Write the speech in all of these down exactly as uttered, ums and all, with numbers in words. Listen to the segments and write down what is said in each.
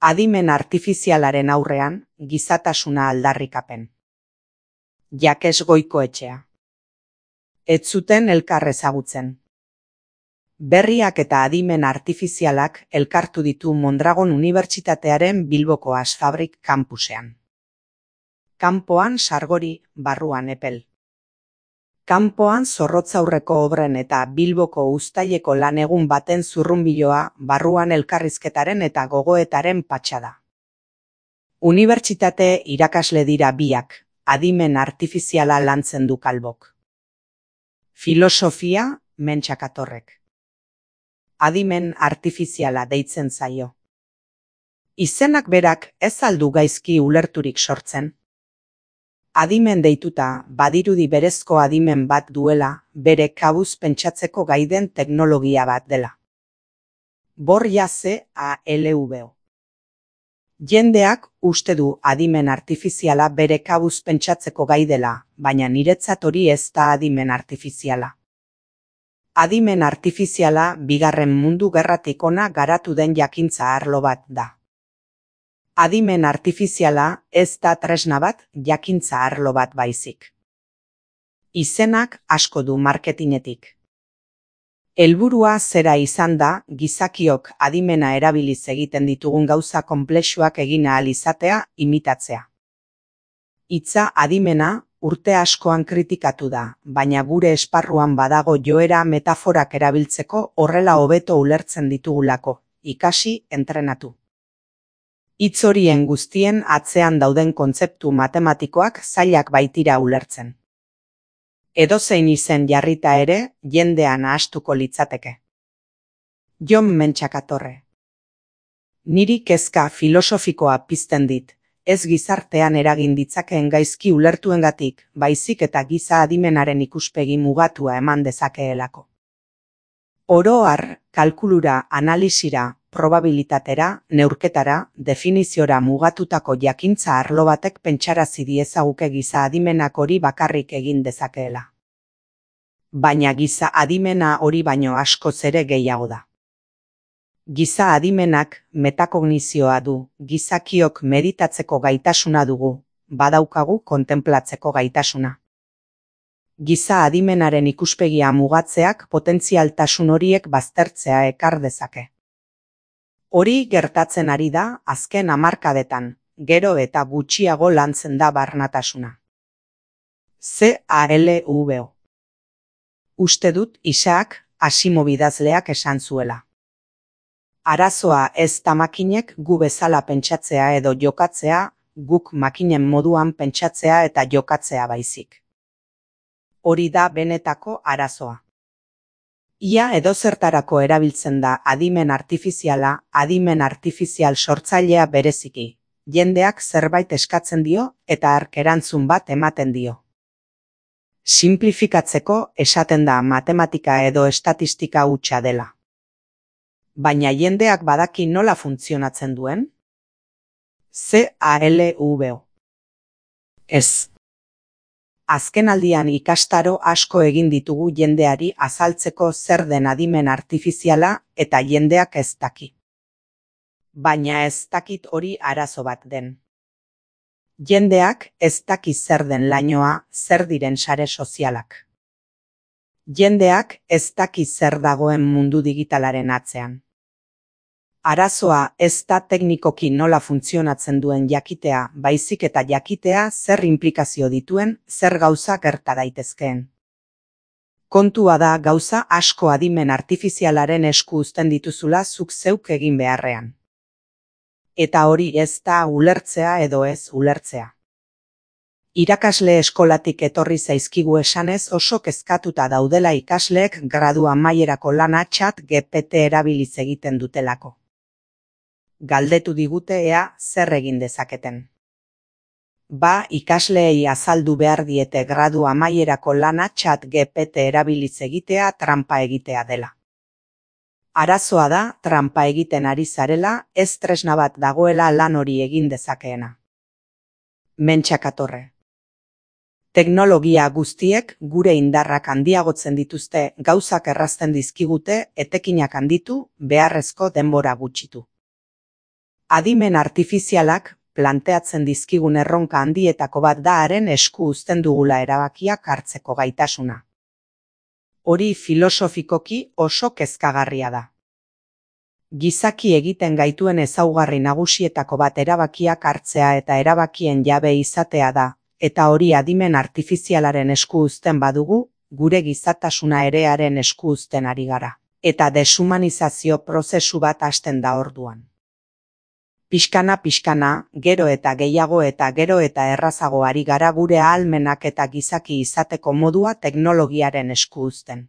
Adimen artifizialaren aurrean, gizatasuna aldarrikapen. Jakes Goikoetxea. Ez zuten elkar ezagutzen. Berriak eta adimen artifizialak elkartu ditu Mondragon Unibertsitatearen Bilboko Asfabrik kampusean. Kanpoan sargori, barruan epel. Kanpoan zorrotzaurreko obren eta Bilboko uztaileko lan egun baten zurrunbiloa, barruan elkarrizketaren eta gogoetaren patxada. Unibertsitate irakasle dira biak, adimen artifiziala lantzen du Kalbok. Filosofia, Mentxakatorrek. Adimen artifiziala deitzen zaio. Izenak berak ez aldu gaizki ulerturik sortzen. Adimen deituta, badirudi berezko adimen bat duela, bere kabuz pentsatzeko gaiden teknologia bat dela. Bor jaze a L V O. Jendeak uste du adimen artifiziala bere kabuz pentsatzeko gai dela, baina niretzat hori ez da adimen artifiziala. Adimen artifiziala bigarren mundu gerratik hona garatu den jakintza arlo bat da. Adimen artifiziala ez da tresna bat, jakintza arlo bat baizik. Izenak asko du marketinetik. Helburua zera izan da, gizakiok adimena erabiliz egiten ditugun gauza konplexuak egin ahal izatea, imitatzea. Hitza adimena urte askoan kritikatu da, baina gure esparruan badago joera metaforak erabiltzeko horrela hobeto ulertzen ditugulako, ikasi, entrenatu. Hitz horien guztien atzean dauden kontzeptu matematikoak zailak baitira ulertzen. Edozein izen jarrita ere, jendean ahastuko litzateke. Jon Mentxakatorre. Niri kezka filosofikoa pizten dit, ez gizartean eragin ditzakeen gaizki ulertuengatik, baizik eta giza adimenaren ikuspegi mugatua eman dezakeelako. Oro har, kalkulura, analisira, probabilitatera, neurketara, definiziora mugatutako jakintza arlo batek pentsarazi diezaguke giza adimenak hori bakarrik egin dezakeela. Baina giza adimena hori baino askoz ere gehiago da. Giza adimenak metakognizioa du, gizakiok meditatzeko gaitasuna dugu, badaukagu kontenplatzeko gaitasuna. Giza adimenaren ikuspegia mugatzeak potentzialtasun horiek baztertzea ekar dezake. Hori gertatzen ari da azken hamarkadetan, gero eta gutxiago lantzen da barnatasuna. C A L V O. Uste dut Isaac Asimov idazleak esan zuela. Arazoa ez da makinek gu bezala pentsatzea edo jokatzea, guk makinen moduan pentsatzea eta jokatzea baizik. Hori da benetako arazoa. Ia edozertarako erabiltzen da adimen artifiziala, adimen artifizial sortzailea bereziki. Jendeak zerbait eskatzen dio eta hark erantzun bat ematen dio. Simplifikatzeko esaten da matematika edo estatistika hutsa dela. Baina jendeak badaki nola funtzionatzen duen? C A L V O. Ez. Azkenaldian ikastaro asko egin ditugu jendeari azaltzeko zer den adimen artifiziala eta jendeak ez daki. Baina ez dakit hori arazo bat den. Jendeak ez daki zer den lainoa, zer diren sare sozialak. Jendeak ez daki zer dagoen mundu digitalaren atzean. Arazoa ez da teknikoki nola funtzionatzen duen jakitea, baizik eta jakitea zer inplikazio dituen, zer gauza gerta daitezkeen. Kontua da gauza asko adimen artifizialaren esku uzten dituzula zuk zeuk egin beharrean. Eta hori ez da ulertzea edo ez ulertzea. Irakasle eskolatik etorri zaizkigu esanez oso kezkatuta daudela ikasleek gradu amaierako lana Chat G P T erabiliz egiten dutelako. Galdetu digute ea zer egin dezaketen. Ba, ikasleei azaldu behar diete gradu amaierako lana Chat G P T erabiliz egitea tranpa egitea dela. Arazoa da, tranpa egiten ari zarela, ez tresna bat dagoela lan hori egin dezakeena. Mentxakatorre. Teknologia guztiek gure indarrak handiagotzen dituzte, gauzak errazten dizkigute, etekinak handitu, beharrezko denbora gutxitu. Adimen artifizialak planteatzen dizkigun erronka handietako bat da haren esku uzten dugula erabakiak hartzeko gaitasuna. Hori filosofikoki oso kezkagarria da. Gizaki egiten gaituen ezaugarri nagusietako bat erabakiak hartzea eta erabakien jabe izatea da, eta hori adimen artifizialaren esku uzten badugu, gure gizatasuna ere haren esku uzten ari gara, eta deshumanizazio prozesu bat hasten da orduan. Pixkana pixkana, gero eta gehiago eta gero eta errazago ari gara gure ahalmenak eta gizaki izateko modua teknologiaren esku uzten.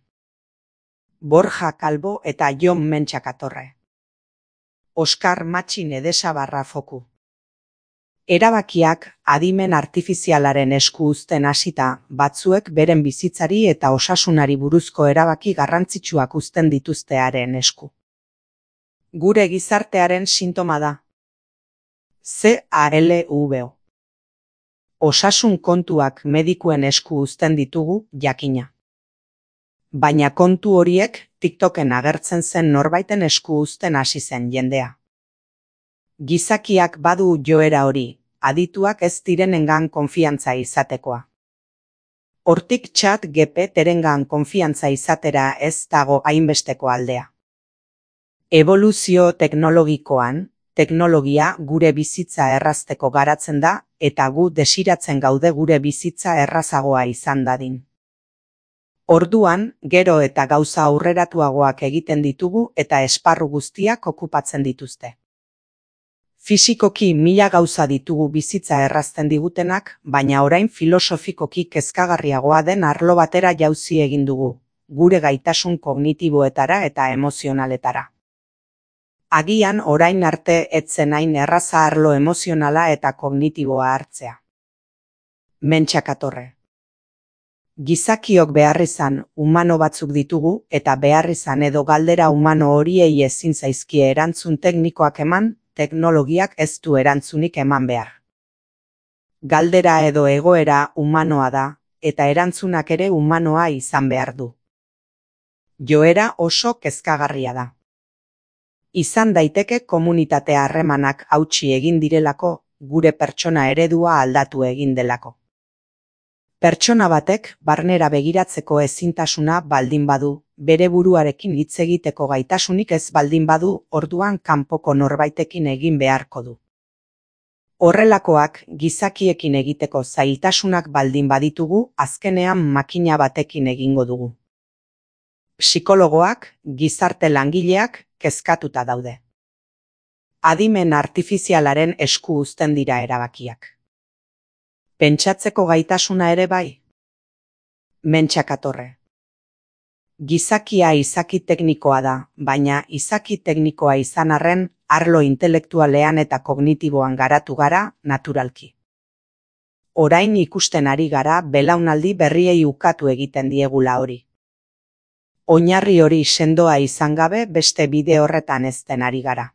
Borja Calvo eta Jon Mentxakatorre. Oskar Matxin Edesabarra Foku. Erabakiak adimen artifizialaren esku uzten hasita, batzuek beren bizitzari eta osasunari buruzko erabaki garrantzitsuak uzten dituztearen esku. Gure gizartearen sintoma da. C A L V O. Osasun kontuak medikuen esku uzten ditugu, jakina. Baina kontu horiek TikToken agertzen zen norbaiten esku uzten hasi zen jendea. Gizakiak badu joera hori, adituak ez direnengan konfiantza izatekoa. Hortik Chat G P T-rengan konfiantza izatera ez dago hainbesteko aldea. Eboluzio teknologikoan, teknologia gure bizitza errazteko garatzen da, eta gu desiratzen gaude gure bizitza errazagoa izan dadin. Orduan, gero eta gauza aurreratuagoak egiten ditugu eta esparru guztiak okupatzen dituzte. Fisikoki mila gauza ditugu bizitza errazten digutenak, baina orain filosofikoki kezkagarriagoa den arlo batera jauzi egin dugu, gure gaitasun kognitiboetara eta emozionaletara. Agian orain arte etzen hain erraza arlo emozionala eta kognitiboa hartzea. Mentxakatorre. Gizakiok beharrizan humano batzuk ditugu eta beharrizan edo galdera humano horiei ezin zaizkie erantzun teknikoak eman, teknologiak ez du erantzunik eman behar. Galdera edo egoera humanoa da, eta erantzunak ere humanoa izan behar du. Joera oso kezkagarria da. Izan daiteke komunitate harremanak hautsi egin direlako, gure pertsona eredua aldatu egin delako. Pertsona batek barnera begiratzeko ezintasuna baldin badu, bere buruarekin hitz egiteko gaitasunik ez baldin badu, orduan kanpoko norbaitekin egin beharko du. Horrelakoak gizakiekin egiteko zailtasunak baldin baditugu, azkenean makina batekin egingo dugu. Psikologoak, gizarte langileak kezkatuta daude. Adimen artifizialaren esku uzten dira erabakiak. Pentsatzeko gaitasuna ere bai? Mentxakatorre. Gizakia izaki teknikoa da, baina izaki teknikoa izan arren, arlo intelektualean eta kognitiboan garatu gara, naturalki. Orain ikusten ari gara belaunaldi berriei ukatu egiten diegula hori. Oinarri hori sendoa izan gabe beste bide horretan ezten ari gara.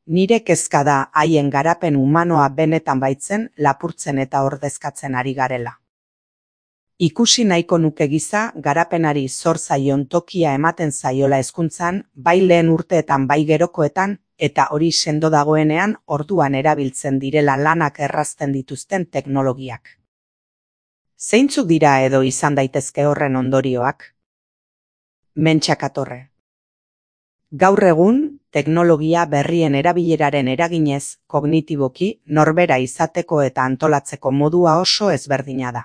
Nire kezka da haien garapen humanoa benetan baitzen lapurtzen eta ordezkatzen ari garela. Ikusi nahiko nuke giza garapenari zor zaion tokia ematen zaiola hezkuntzan, bai lehen urteetan bai gerokoetan, eta hori sendo dagoenean orduan erabiltzen direla lanak errazten dituzten teknologiak. Zeintzuk dira edo izan daitezke horren ondorioak? Mentxakatorre. Gaur egun, teknologia berrien erabileraren eraginez, kognitiboki, norbera izateko eta antolatzeko modua oso ezberdina da.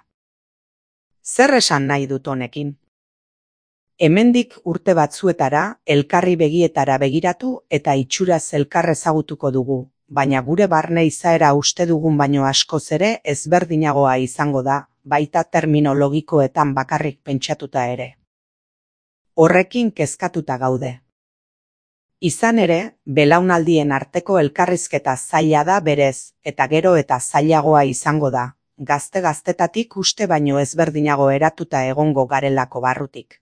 Zer esan nahi dut honekin? Hemendik urte batzuetara, elkarri begietara begiratu eta itxuraz elkar ezagutuko dugu, baina gure barne izaera uste dugun baino askoz ere ezberdinagoa izango da, baita terminologikoetan bakarrik pentsatuta ere. Horrekin kezkatuta gaude. Izan ere, belaunaldien arteko elkarrizketa zaila da berez, eta gero eta zailagoa izango da, gazte-gaztetatik uste baino ezberdinago eratuta egongo garelako barrutik.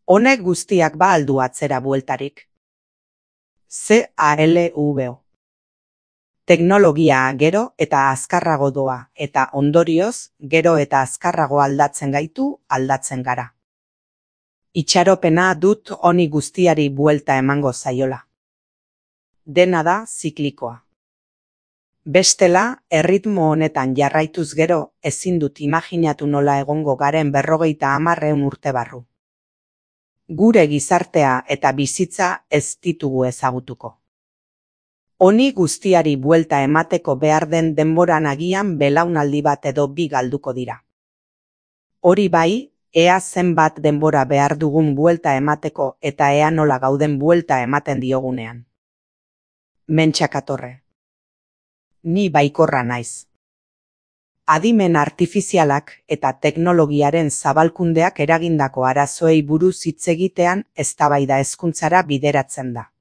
Honek guztiak ba aldu atzera bueltarik. C A L V O. Teknologia gero eta azkarrago doa, eta ondorioz, gero eta azkarrago aldatzen gaitu, aldatzen gara. Itxaropena dut honi guztiari buelta emango zaiola. dena da ziklikoa. Bestela, erritmo honetan jarraituz gero, ezin dut imaginatu nola egongo garen berrogeita hamarreun urte barru. Gure gizartea eta bizitza ez ditugu ezagutuko. Honi guztiari buelta emateko behar den denboran agian belaunaldi bat edo bi galduko dira. Hori bai, ea zenbat denbora behar dugun buelta emateko eta ea nola gauden buelta ematen diogunean. Mentxakatorre. Ni baikorra naiz. Adimen artifizialak eta teknologiaren zabalkundeak eragindako arazoei buruz hitz egitean eztabaida hezkuntzara bideratzen da.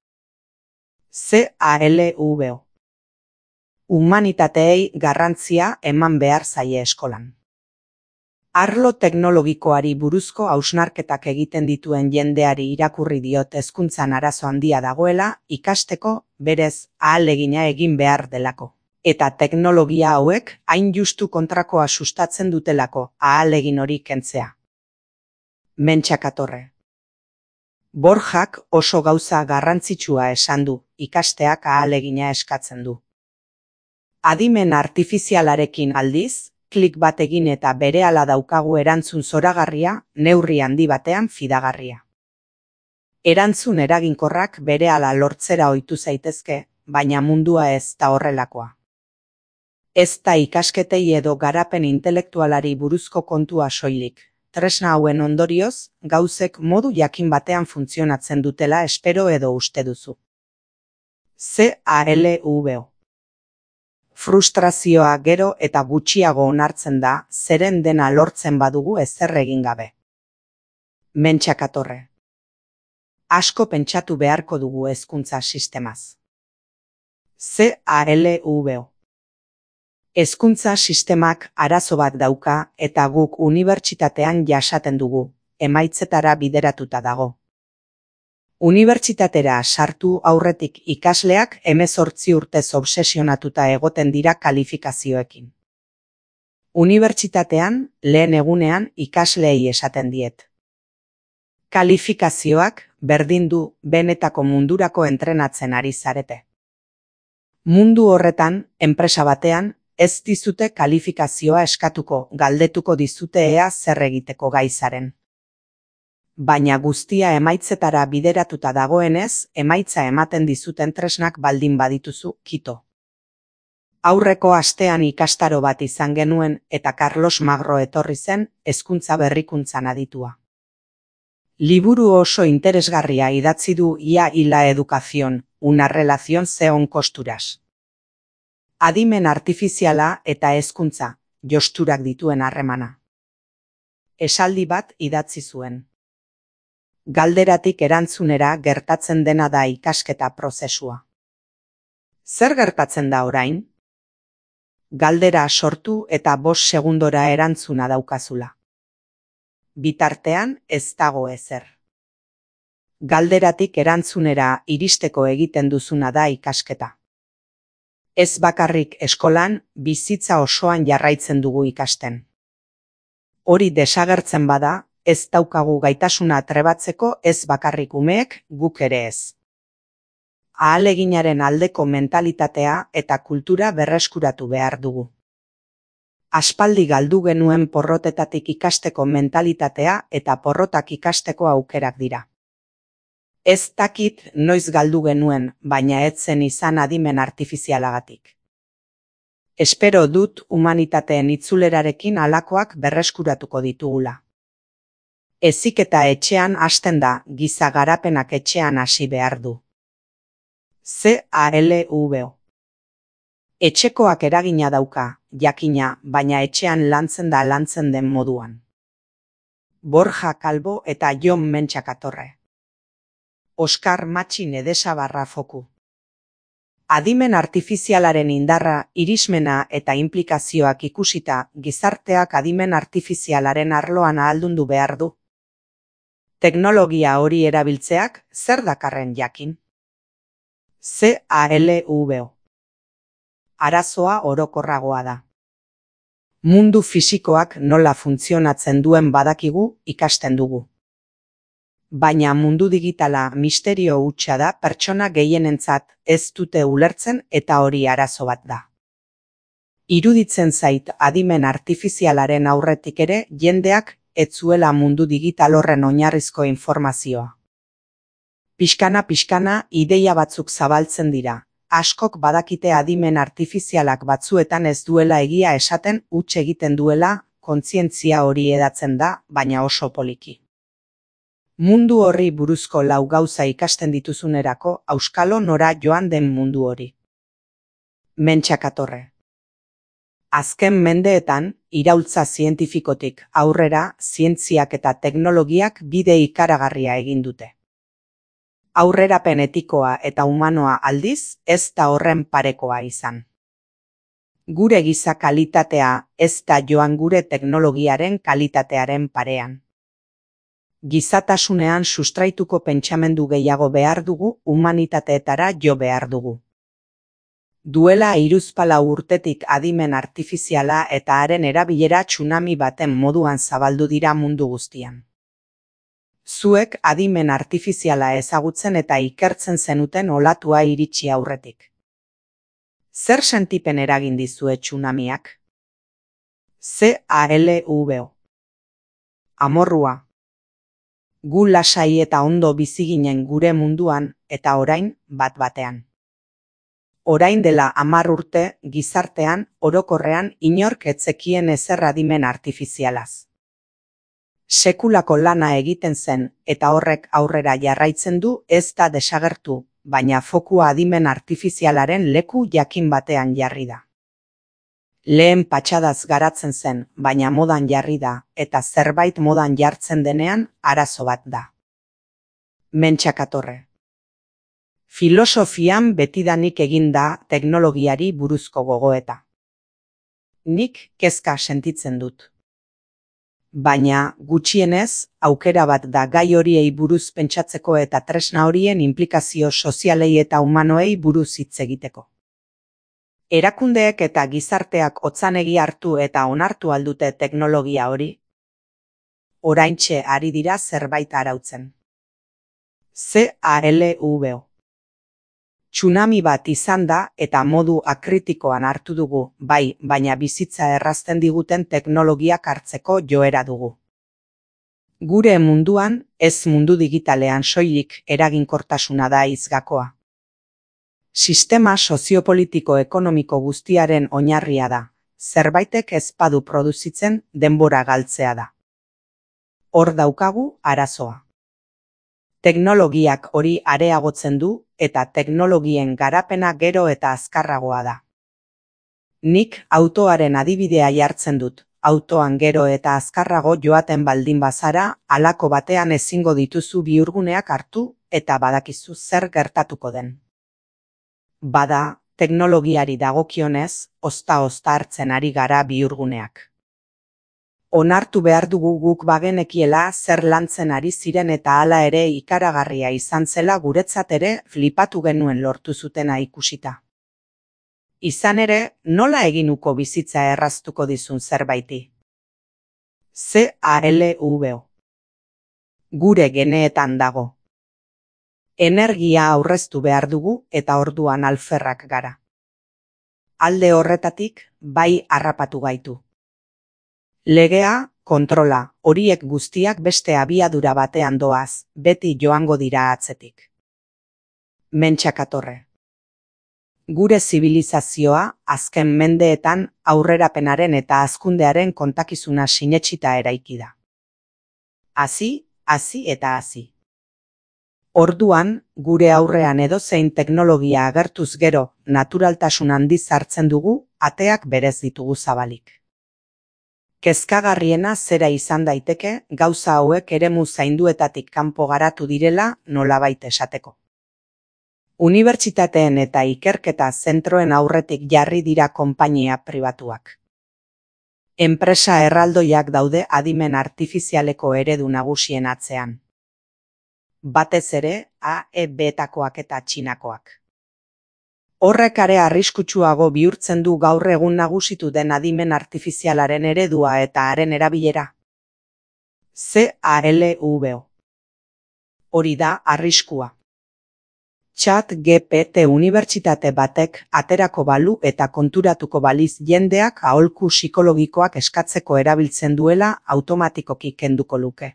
Z A L V O. Humanitateei garrantzia eman behar zaie eskolan. Arlo teknologikoari buruzko hausnarketak egiten dituen jendeari irakurri diot hezkuntzan arazo handia dagoela ikasteko berez ahalegina egin behar delako. Eta teknologia hauek hain justu kontrakoa sustatzen dutelako ahalegin hori kentzea. Mentxakatorre. Borjak oso gauza garrantzitsua esan du, ikasteak ahalegina eskatzen du. Adimen artifizialarekin aldiz, klik bat egin eta berehala daukagu erantzun zoragarria, neurri handi batean fidagarria. Erantzun eraginkorrak berehala lortzera ohitu zaitezke, baina mundua ez da horrelakoa. Ez da ikasketei edo garapen intelektualari buruzko kontua soilik. Tresna hauen ondorioz, gauzek modu jakin batean funtzionatzen dutela espero edo uste duzu. Z A L V O. Frustrazioa gero eta gutxiago onartzen da, zeren dena lortzen badugu ezer egin gabe. Mentxakatorre. Asko pentsatu beharko dugu hezkuntza sistemaz. Z A L V O. Hezkuntza sistemak arazo bat dauka eta guk unibertsitatean jasaten dugu, emaitzetara bideratuta dago. Unibertsitatera sartu aurretik ikasleak hemezortzi urtez obsesionatuta egoten dira kalifikazioekin. Unibertsitatean, lehen egunean ikasleei esaten diet. Kalifikazioak berdin du benetako mundurako entrenatzen ari zarete. Mundu horretan, enpresa batean, ez dizute kalifikazioa eskatuko, galdetuko dizute ea zer egiteko gai zaren. Baina guztia emaitzetara bideratuta dagoenez, emaitza ematen dizuten tresnak baldin badituzu, kito. Aurreko astean ikastaro bat izan genuen eta Carlos Magro etorri zen, hezkuntza berrikuntzan aditua. Liburu oso interesgarria idatzi du Ia y la educación, una relación zeon kosturas. Adimen artifiziala eta hezkuntza, josturak dituen harremana. Esaldi bat idatzi zuen. Galderatik erantzunera gertatzen dena da ikasketa prozesua. Zer gertatzen da orain? Galdera sortu eta bost segundora erantzuna daukazula. Bitartean ez dago ezer. Galderatik erantzunera iristeko egiten duzuna da ikasketa. Ez bakarrik eskolan, bizitza osoan jarraitzen dugu ikasten. Hori desagertzen bada, ez daukagu gaitasuna trebatzeko ez bakarrik umeek, guk ere ez. Ahaleginaren aldeko mentalitatea eta kultura berreskuratu behar dugu. Aspaldi galdu genuen porrotetatik ikasteko mentalitatea eta porrotak ikasteko aukerak dira. Ez dakit noiz galdu genuen, baina ez zen izan adimen artifizialagatik. Espero dut humanitateen itzulerarekin halakoak berreskuratuko ditugula. Heziketa etxean hasten da, giza garapenak etxean hasi behar du. Z A L V O. Etxekoak eragina dauka, jakina, baina etxean lantzen da lantzen den moduan. Borja Calvo eta Jon Mentxakatorre. Oskar Matxin Edesabarra Foku. Adimen artifizialaren indarra, irismena eta inplikazioak ikusita, gizarteak adimen artifizialaren arloan ahaldundu behar du. Teknologia hori erabiltzeak zer dakarren jakin? Z A L V O. Arazoa orokorragoa da. Mundu fisikoak nola funtzionatzen duen badakigu ikasten dugu. Baina mundu digitala misterio hutsa da pertsona gehienentzat ez dute ulertzen eta hori arazo bat da. Iruditzen zait adimen artifizialaren aurretik ere jendeak ez zuela mundu digital horren oinarrizko informazioa. Pixkana pixkana ideia batzuk zabaltzen dira. Askok badakite adimen artifizialak batzuetan ez duela egia esaten huts egiten duela, kontzientzia hori edatzen da, baina oso poliki. Mundu horri buruzko lau gauza ikasten dituzunerako auskalo nora joan den mundu hori. Mentxakatorre. Azken mendeetan, iraultza zientifikotik aurrera, zientziak eta teknologiak bide ikaragarria egin dute. Aurrerapen etikoa eta humanoa aldiz, ez da horren parekoa izan. Gure giza kalitatea ez da joan gure teknologiaren kalitatearen parean. Gizatasunean sustraituko pentsamendu gehiago behar dugu, humanitateetara jo behar dugu. Duela hiruzpalau urtetik adimen artifiziala eta haren erabilera tsunami baten moduan zabaldu dira mundu guztian. Zuek adimen artifiziala ezagutzen eta ikertzen zenuten olatua iritsi aurretik. Zer sentipen eragin dizue tsunamiak? Z A L V O. Amorrua. Gu lasai eta ondo bizi ginen gure munduan eta orain bat batean. Orain dela hamar urte gizartean orokorrean inork ez zekien ezer adimen artifizialaz. Sekulako lana egiten zen eta horrek aurrera jarraitzen du ez da desagertu, baina fokua adimen artifizialaren leku jakin batean jarri da. Lehen patxadaz garatzen zen, baina modan jarri da, eta zerbait modan jartzen denean arazo bat da. Mentxakatorre. Filosofian betidanik egin da teknologiari buruzko gogoeta. Nik kezka sentitzen dut. Baina, gutxienez, aukera bat da gai horiei buruz pentsatzeko eta tresna horien inplikazio sozialei eta humanoei buruz hitz egiteko. Erakundeek eta gizarteak otzanegi hartu eta onartu aldute teknologia hori? Oraintxe ari dira zerbait arautzen. Z A L V O. Tsunami bat izan da eta modu akritikoan hartu dugu, bai, baina bizitza errazten diguten teknologiak hartzeko joera dugu. Gure munduan, ez mundu digitalean soilik eraginkortasuna da hizgakoa. Sistema soziopolitiko-ekonomiko guztiaren oinarria da, zerbaitek ez badu produzitzen denbora galtzea da. Hor daukagu arazoa. Teknologiak hori areagotzen du eta teknologien garapena gero eta azkarragoa da. Nik autoaren adibidea jartzen dut, autoan gero eta azkarrago joaten baldin bazara, halako batean ezingo dituzu bihurguneak hartu eta badakizu zer gertatuko den. Bada, teknologiari dagokionez, ozta-ozta hartzen ari gara bihurguneak. Onartu behar dugu guk bagenekiela zer lantzen ari ziren eta hala ere ikaragarria izan zela guretzat ere flipatu genuen lortu zutena ikusita. Izan ere, nola eginuko bizitza erraztuko dizun zerbaiti? Z A L V O. Gure geneetan dago. Energia aurreztu behar dugu eta orduan alferrak gara. Alde horretatik, bai harrapatu gaitu. Legea, kontrola, horiek guztiak beste abiadura batean doaz, beti joango dira atzetik. Mentxakatorre. Gure zibilizazioa, azken mendeetan aurrerapenaren eta hazkundearen kontakizuna sinetsita eraiki da. Hazi, hazi eta hazi. Orduan, gure aurrean edozein teknologia agertuz gero, naturaltasun handiz hartzen dugu, ateak berez ditugu zabalik. Kezkagarriena zera izan daiteke, gauza hauek eremu zainduetatik kanpo garatu direla nolabait esateko. Unibertsitateen eta ikerketa zentroen aurretik jarri dira konpainia pribatuak. Enpresa erraldoiak daude adimen artifizialeko eredu nagusien atzean. Batez ere, A E betakoak eta txinakoak. Horrek are arriskutsuago bihurtzen du gaur egun nagusitu den adimen artifizialaren eredua eta haren erabilera. Z A L V O. Hori da arriskua. Chat G P T unibertsitate batek aterako balu eta konturatuko baliz jendeak aholku psikologikoak eskatzeko erabiltzen duela automatikoki kenduko luke.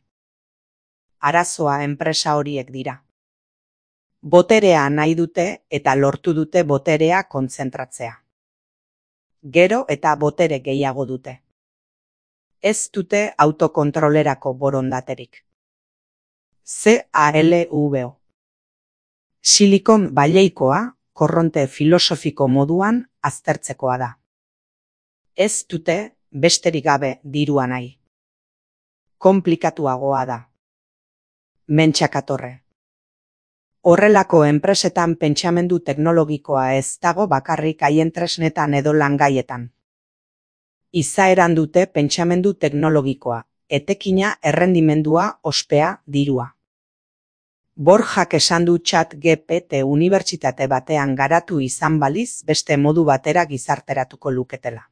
Arazoa enpresa horiek dira. Boterea nahi dute eta lortu dute boterea kontzentratzea. Gero eta botere gehiago dute. Ez dute autokontrolerako borondaterik. C A L V O Silikon baileikoa korronte filosofiko moduan aztertzekoa da. Ez dute besterik gabe dirua nahi. Konplikatuagoa da. Mentxakatorre. Horrelako enpresetan pentsamendu teknologikoa ez dago bakarrik haien tresnetan edo langaietan. Izaeran dute pentsamendu teknologikoa, etekina, errendimendua, ospea, dirua. Borjak esan du Chat G P T unibertsitate batean garatu izan baliz beste modu batera gizarteratuko luketela.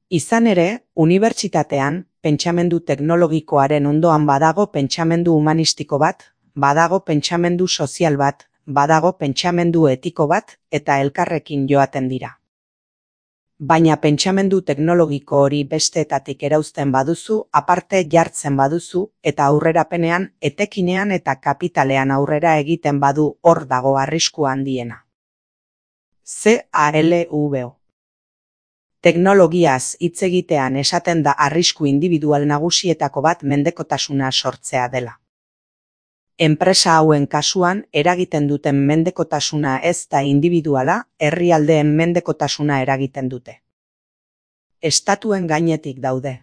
Izan ere, unibertsitatean pentsamendu teknologikoaren ondoan badago pentsamendu humanistiko bat, badago pentsamendu sozial bat, badago pentsamendu etiko bat eta elkarrekin joaten dira. Baina pentsamendu teknologiko hori besteetatik erauzten baduzu, aparte jartzen baduzu eta aurrerapenean, etekinean eta kapitalean aurrera egiten badu hor dago arrisku handiena. C A L V O Teknologiaz hitz egitean esaten da arrisku individual nagusietako bat mendekotasuna sortzea dela. Enpresa hauen kasuan eragiten duten mendekotasuna ez da individuala, herrialdeen mendekotasuna eragiten dute. Estatuen gainetik daude.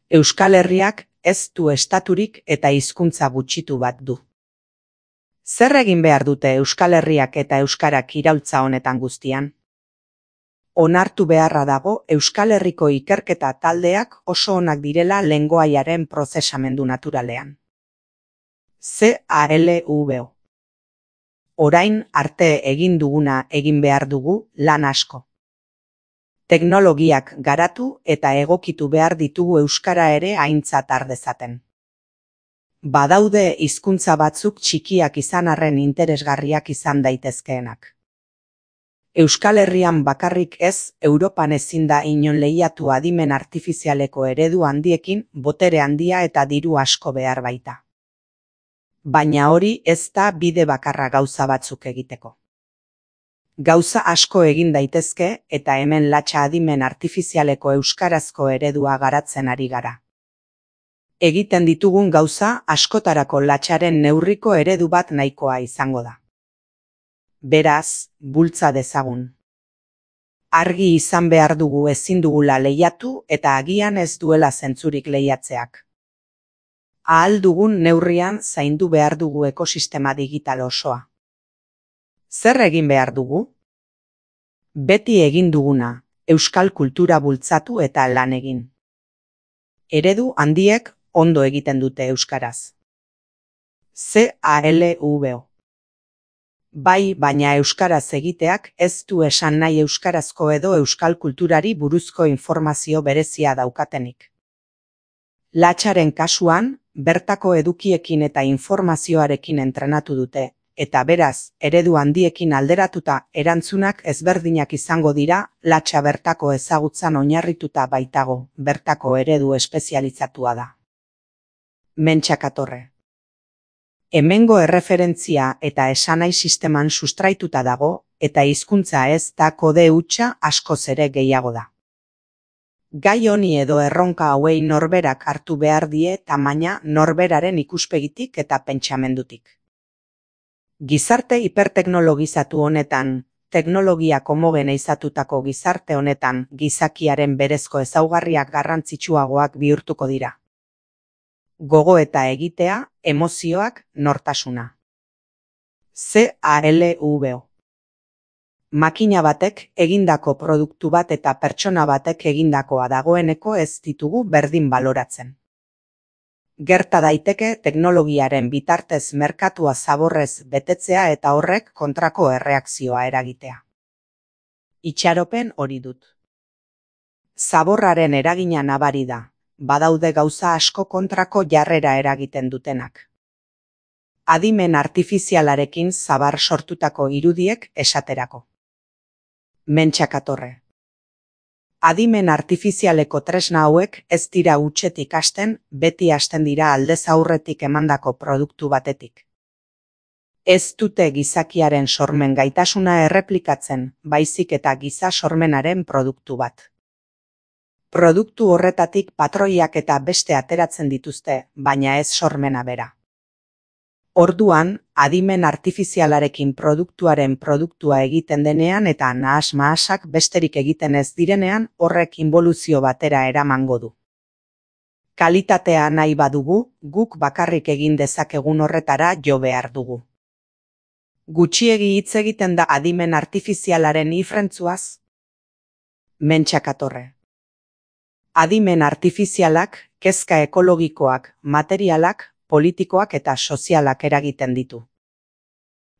Euskal Herriak ez du estaturik eta hizkuntza gutxitu bat du. Zer egin behar dute Euskal Herriak eta euskarak iraultza honetan guztian? Onartu beharra dago Euskal Herriko ikerketa taldeak oso onak direla lengoaiaren prozesamendu naturalean. C A L V O Orain arte egin duguna egin behar dugu lan asko. Teknologiak garatu eta egokitu behar ditugu euskara ere aintzat har dezaten. Badaude hizkuntza batzuk txikiak izan arren interesgarriak izan daitezkeenak. Euskal Herrian bakarrik ez, Europan ezin da inon lehiatu adimen artifizialeko eredu handiekin, botere handia eta diru asko behar baita. Baina hori ez da bide bakarra gauza batzuk egiteko. Gauza asko egin daitezke eta hemen latxa adimen artifizialeko euskarazko eredua garatzen ari gara. Egiten ditugun gauza askotarako latxaren neurriko eredu bat nahikoa izango da. Beraz, bultza dezagun. Argi izan behar dugu ezin dugula lehiatu eta agian ez duela zentzurik lehiatzeak. Ahal dugun neurrian zaindu behar dugu ekosistema digital osoa. Zer egin behar dugu? Beti egin duguna, euskal kultura bultzatu eta lan egin. Eredu handiek ondo egiten dute euskaraz. C A L V O Bai, baina euskaraz egiteak ez du esan nahi euskarazko edo euskal kulturari buruzko informazio berezia daukatenik. Latxaren kasuan, bertako edukiekin eta informazioarekin entrenatu dute, eta beraz, eredu handiekin alderatuta erantzunak ezberdinak izango dira, latxa bertako ezagutzan oinarrituta baitago, bertako eredu espezializatua da. Mentxakatorre. Hemengo erreferentzia eta esanai sisteman sustraituta dago, eta hizkuntza ez da kode hutsa askoz ere gehiago da. Gai honi edo erronka hauei norberak hartu behar die tamaina norberaren ikuspegitik eta pentsamendutik. Gizarte hiperteknologizatu honetan, teknologiak homogeneizatutako gizarte honetan gizakiaren berezko ezaugarriak garrantzitsuagoak bihurtuko dira. Gogoeta egitea, emozioak, nortasuna. C A L V O Makina batek egindako produktu bat eta pertsona batek egindakoa dagoeneko ez ditugu berdin baloratzen. Gerta daiteke teknologiaren bitartez merkatua zaborrez betetzea eta horrek kontrako erreakzioa eragitea. Itxaropen hori dut. Zaborraren eragina nabari da, badaude gauza asko kontrako jarrera eragiten dutenak. Adimen artifizialarekin zabar sortutako irudiek esaterako. Mentxakatorre. Adimen artifizialeko tresna hauek ez dira hutsetik hasten, beti hasten dira aldez aurretik emandako produktu batetik. Ez dute gizakiaren sormen gaitasuna erreplikatzen, baizik eta giza sormenaren produktu bat. Produktu horretatik patroiak eta beste ateratzen dituzte, baina ez sormena bera. Orduan, adimen artifizialarekin produktuaren produktua egiten denean eta nahas-mahasak besterik egiten ez direnean horrek inboluzio batera eramango du. Kalitatea nahi badugu, guk bakarrik egin dezakegun horretara jo behar dugu. Gutxiegi hitz egiten da adimen artifizialaren ifrentzuaz? Mentxakatorre. Adimen artifizialak, kezka ekologikoak, materialak, politikoak eta sozialak eragiten ditu.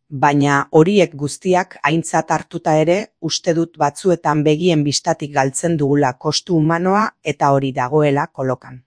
Baina horiek guztiak aintzat hartuta ere, uste dut batzuetan begien bistatik galtzen dugula kostu humanoa eta hori dagoela kolokan.